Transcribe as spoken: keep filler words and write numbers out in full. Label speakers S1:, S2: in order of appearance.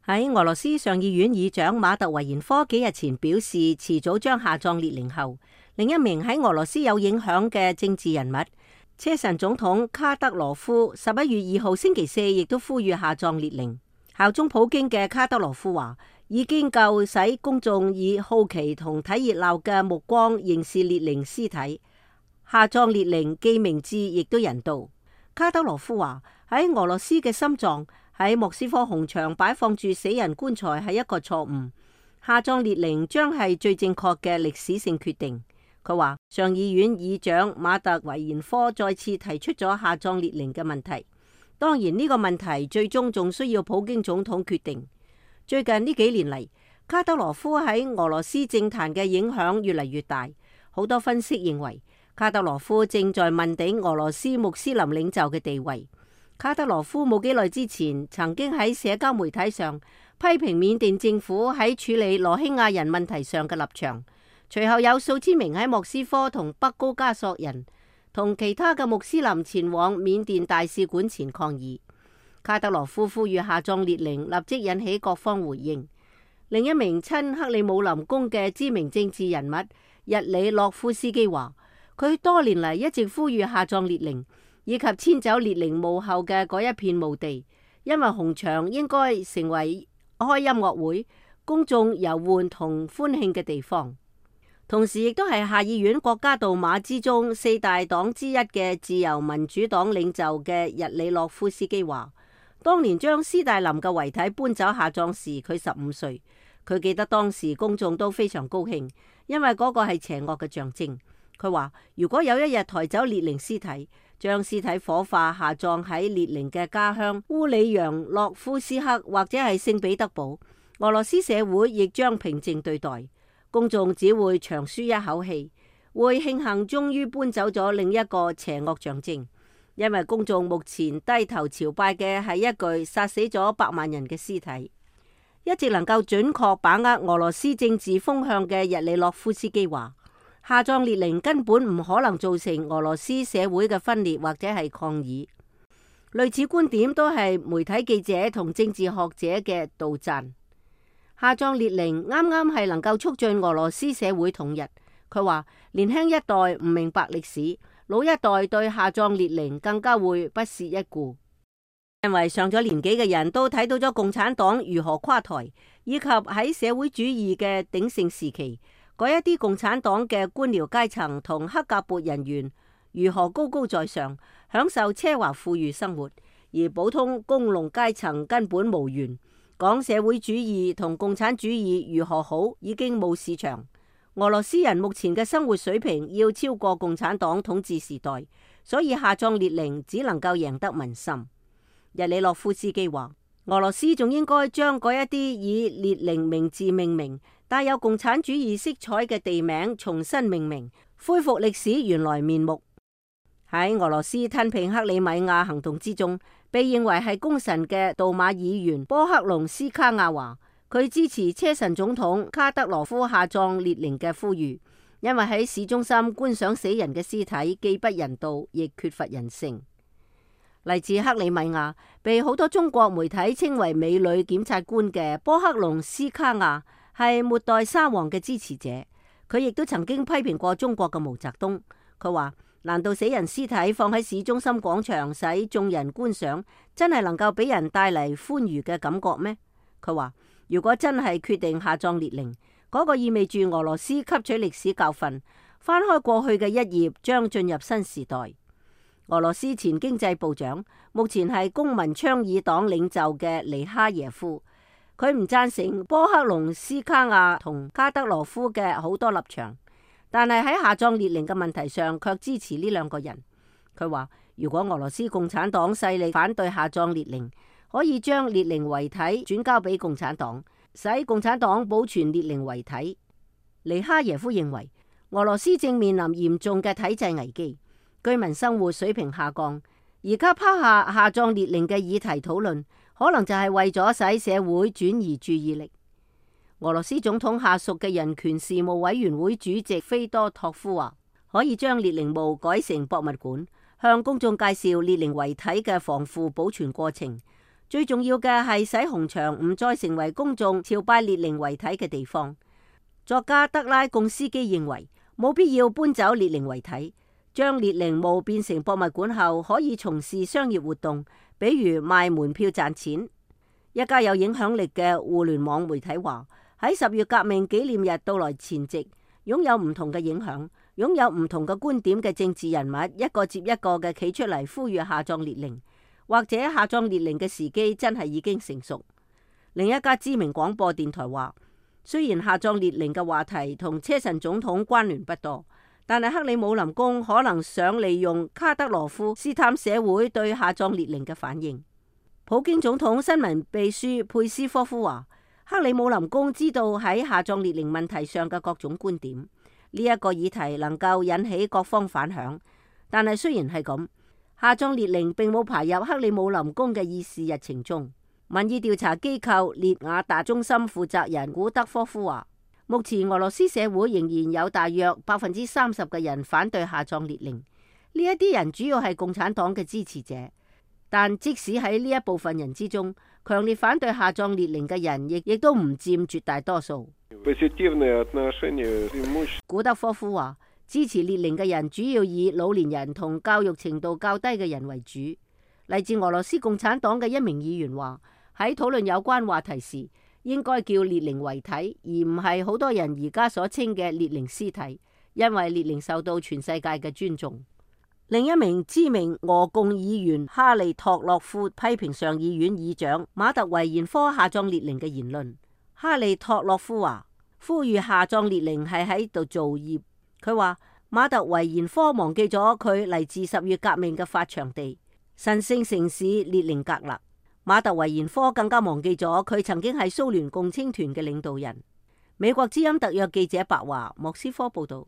S1: 喺俄羅斯上議院議長馬特維延科幾日前表示，遲早將下葬列寧後，另一名喺俄羅斯有影響嘅政治人物車臣總統卡德羅夫十一月二號星期四亦都呼籲下葬列寧。效忠普京嘅卡德羅夫話，已經夠使公眾以好奇同睇熱鬧嘅目光凝視列寧屍體。下葬列寧既明智亦都人道。卡德羅夫話，喺俄羅斯嘅心臟喺莫斯科紅場擺放住死人棺材係一個錯誤，下葬列寧將係最正確嘅歷史性決定。佢話上議院議長馬特維延科再次提出咗下葬列寧嘅問題，當然呢個問題最終仲需要普京總統決定。最近呢幾年嚟，卡德羅夫喺俄羅斯政壇嘅影響越嚟越大，好多分析認為卡德羅夫正在問鼎俄羅斯穆斯林領袖嘅地位。卡德羅夫冇幾耐之前曾經喺社交媒體上批評緬甸政府喺處理羅興亞人問題上嘅立場，隨後有數千名喺莫斯科同北高加索人同其他嘅穆斯林前往緬甸大使館前抗議。卡德羅夫呼籲下葬列寧，立即引起各方回應。另一名親克里姆林宮嘅知名政治人物日里洛夫斯基話，佢多年嚟一直呼籲下葬列寧，以及遷走列寧墓後嘅嗰一片墓地，因為紅場應該成為開音樂會、公眾遊玩同歡慶嘅地方。同時亦都係下議院國家杜馬之中四大黨之一嘅自由民主黨領袖嘅日里洛夫斯基話，當年將斯大林嘅遺體搬走下葬時，佢十五歲。佢記得當時公眾都非常高興，因為嗰個係邪惡嘅象徵。佢話如果有一日抬走列寧屍體，將屍體火化下葬喺列寧嘅家鄉烏里揚洛夫斯克或者係聖彼得堡，俄羅斯社會亦將平靜對待，公眾只會長舒一口氣，會慶幸終於搬走咗另一個邪惡象徵。因為公眾目前低頭朝拜嘅係一具殺死咗百萬人嘅屍體。一直能夠準確把握俄羅斯政治風向嘅日里洛夫斯基話，下葬列寧根本唔可能造成俄羅斯社會嘅分裂或者係抗議。類似觀點都係媒體記者同政治學者嘅杜讚。下葬列寧啱啱係能夠促進俄羅斯社會統一。佢話年輕一代唔明白歷史，老一代對下葬列寧更加會不屑一顧。因為上咗年紀嘅人都睇到咗共產黨如何垮台，以及喺社會主義嘅鼎盛時期，嗰一啲共產黨嘅官僚階層同黑格勃人員如何高高在上，享受奢華富裕生活，而普通工農階層根本無緣。講社會主義同共產主義如何好，已經冇市場。俄羅斯人目前嘅生活水平要超過共產黨統治時代，所以下葬列寧只能夠贏得民心。日里洛夫斯基話，俄羅斯仲應該將嗰一啲以列寧名字命名、帶有共產主義色彩嘅地名重新命名，恢復歷史原來面目。喺俄羅斯吞併克里米亞行動之中，被認為係功臣嘅杜馬議員波克隆斯卡亞話，佢支持車臣總統卡德羅夫下葬列寧嘅呼籲，因為喺市中心觀賞死人嘅屍體既不人道，亦缺乏人性。嚟自克里米亞，被好多中國媒體稱為美女檢察官嘅波克隆斯卡亞係末代沙皇嘅支持者。佢亦都曾經批評過中國嘅毛澤東。佢話，難道死人屍體放喺市中心廣場使眾人觀賞，真係能夠俾人帶嚟歡愉嘅感覺咩？佢話，如果真係決定下葬列寧，嗰個意味住俄羅斯吸取歷史教訓，翻開過去嘅一頁，將進入新時代。俄羅斯前經濟部長，目前係公民倡議黨領袖嘅尼哈耶夫，佢唔贊成波克隆斯卡亞同卡德羅夫嘅好多立場，但係喺下葬列寧嘅問題上卻支持呢兩個人。佢話，如果俄羅斯共產黨勢力反對下葬列寧，可以將列寧遺體轉交俾共產黨，使共產黨保存列寧遺體。尼哈耶夫認為，俄羅斯正面臨嚴重嘅體制危機。居民生活水平下降，而家拋下下葬列寧嘅議題討論，可能就係為咗使社會轉移注意力。俄羅斯總統下屬嘅人權事務委員會主席菲多托夫話，可以將列寧墓改成博物館，向公眾介紹列寧遺體嘅防腐保存過程，最重要嘅係使紅場唔再成為公眾朝拜列寧遺體嘅地方。作家德拉貢斯基認為冇必要搬走列寧遺體，將列寧墓變成博物館後可以從事商業活動，比如賣門票賺錢。一家有影響力嘅互聯網媒體話，喺十月革命紀念日到來前夕，擁有唔同嘅影響、擁有唔同嘅觀點嘅政治人物一個接一個嘅企出嚟呼籲下葬列寧，或者下葬列寧嘅時機真係已經成熟。另一家知名廣播電台話，雖然下葬列寧嘅話題同車臣總統關聯不多，但係克里姆林宮可能想利用卡德羅夫試探社會對下葬列寧嘅反應。普京總統新聞秘書佩斯科夫話，克里姆林宮知道喺下葬列寧問題上嘅各種觀點，呢一個議題能夠引起各方反響。但係雖然係咁，下葬列寧並冇排入克里姆林宮嘅議事日程中。民意調查機構列雅達中心負責人古德科夫話，目前俄羅斯社會仍然有大約百分之三十嘅人反對下葬列寧，呢一啲人主要係共產黨嘅支持者。但即使喺呢一部分人之中，強烈反對下葬列寧嘅人亦亦都唔佔絕大多數。古德科夫話，支持列寧嘅人主要以老年人同教育程度較低嘅人為主。嚟自俄羅斯共產黨嘅一名議員話，喺討論有關話題時，應該叫列寧遺體，而唔係好多人而家所稱嘅列寧屍體，因為列寧受到全世界嘅尊重。另一名知名俄共議員哈利托洛夫批評上議院議長馬特維延科下葬列寧嘅言論。哈利托洛夫話，呼籲下葬列寧係喺度造孽。佢話馬特維延科忘記咗佢嚟自十月革命嘅發祥地神聖城市列寧格勒。馬特維延科更加忘記咗佢曾經係蘇聯共青團嘅領導人。美國之音特約記者白華莫斯科報道。